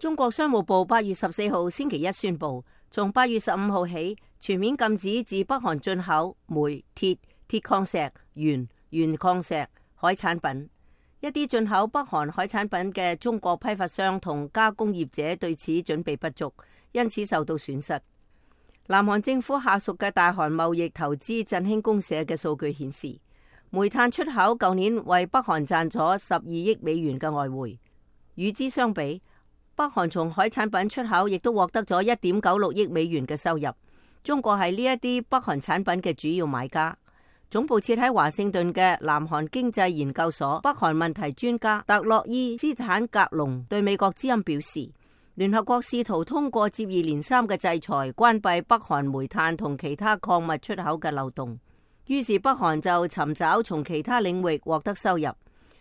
中國商務部8月14號星期一宣布，從8月15號起，全面禁止自北韓進口煤、鐵、鐵礦石、鉛、鉛礦石、海產品。一啲進口北韓海產品嘅中國批發商同加工業者對此準備不足，因此受到損失。南韓政府下屬嘅大韓貿易投資振興公社嘅數據顯示，煤炭出口舊年為北韓賺咗12億美元嘅外匯。與之相比，北韓從海產品出口亦都獲得咗1.96億美元嘅收入。中國係呢一啲北韓產品嘅主要買家。總部設喺華盛頓嘅南韓經濟研究所北韓問題專家特洛伊斯坦格隆對美國之音表示，聯合國試圖通過接二連三嘅制裁關閉北韓煤炭同其他礦物出口嘅漏洞，於是北韓就尋找從其他領域獲得收入。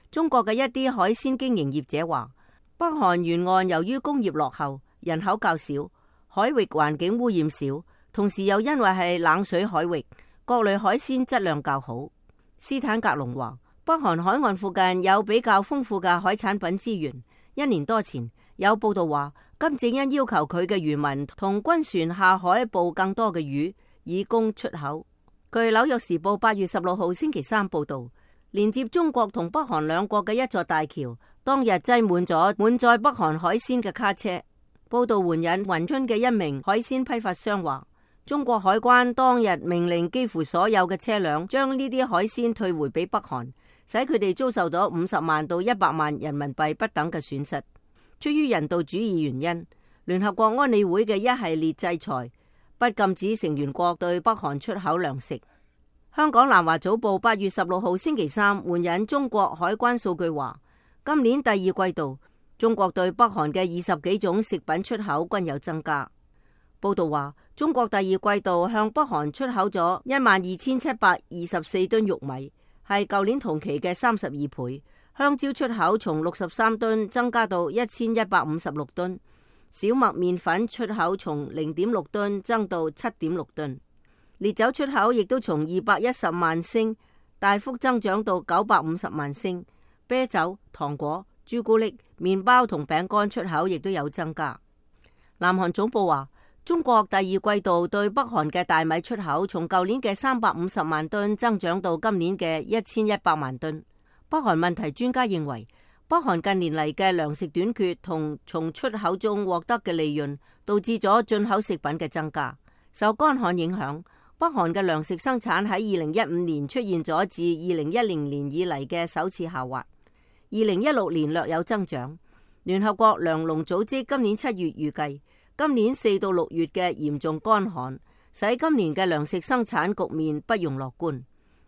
中國嘅一啲海鮮經營業者話，北韓沿岸由於工業落後，人口較少，海域環境污染少，同時又因為係冷水海域，各類海鮮質量較好。斯坦格隆話，北韓海岸附近有比較豐富嘅海產品資源。1年多前，有報道話，金正恩要求佢嘅漁民同軍船下海捕更多嘅魚，以供出口。據紐約時報8月16號星期三報道，連接中國同北韓兩國嘅一座大橋，當日擠滿咗滿載北韓海鮮嘅卡車。報道援引雲春嘅一名海鮮批發商話，中國海關當日命令幾乎所有嘅車輛將呢啲海鮮退回俾北韓，使佢哋遭受咗50萬到100萬人民幣不等嘅損失。出於人道主義原因，聯合國安理會嘅一系列制裁不禁止成員國對北韓出口糧食。香港南華早報8月16號星期三援引中國海關數據話，今年第二季度中國對北韓嘅20幾種食品出口均有增加。報道話，中國第二季度向北韓出口咗12724噸玉米，係舊年同期嘅32倍。香蕉出口從63噸增加到1156噸，小麥麵粉出口從0.6噸增到7.6噸，烈酒出口亦都從210萬升大幅增長到950萬升，啤酒、糖果、朱古力、麵包同餅乾出口亦都有增加。南韓總部話，中國第二季度對北韓嘅大米出口從舊年嘅350萬噸增長到今年嘅1100萬噸。北韓問題專家認為，北韓近年嚟嘅糧食短缺同從出口中獲得嘅利潤，導致咗進口食品嘅增加。受乾旱影響，北韓嘅糧食生產喺2015年出現咗自2010年以嚟嘅首次下滑，2016年略有增長。聯合國糧農組織今年7月預計，今年4到6月嘅嚴重乾旱，使今年嘅糧食生產局面不容樂觀。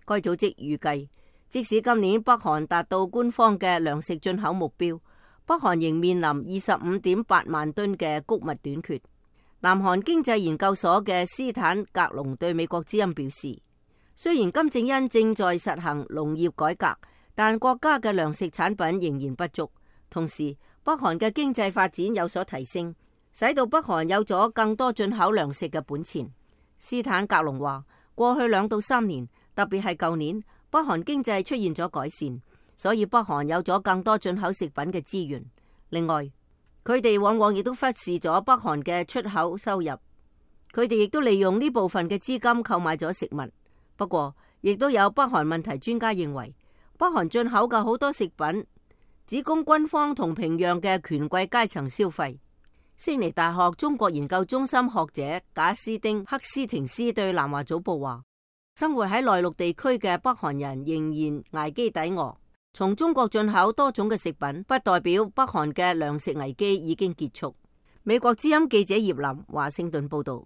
該組織預計，即使今年北韓達到官方嘅糧食進口目標，北韓仍面臨25.8萬噸嘅穀物短缺。南韓經濟研究所嘅斯坦格隆對美國之音表示，雖然金正恩正在實行農業改革，但國家嘅糧食產品仍然不足。同時，北韓嘅經濟發展有所提升，使到北韓有咗更多進口糧食嘅本錢。斯坦格隆話，過去2到3年，特別係舊年，北韓經濟出現咗改善，所以北韓有咗更多進口食品嘅資源。另外，佢哋往往亦都忽視咗北韓嘅出口收入，佢哋亦都利用呢部分嘅資金購買咗食物。不過，亦都有北韓問題專家認為，北韓進口嘅好多食品只供軍方同平壤嘅權貴階層消費。悉尼大學中國研究中心學者賈斯丁克斯廷斯對南華早報話，生活喺內陸地區嘅北韓人仍然捱飢抵餓。從中國進口多種嘅食品，不代表北韓嘅糧食危機已經結束。美國之音記者葉林華盛頓報道。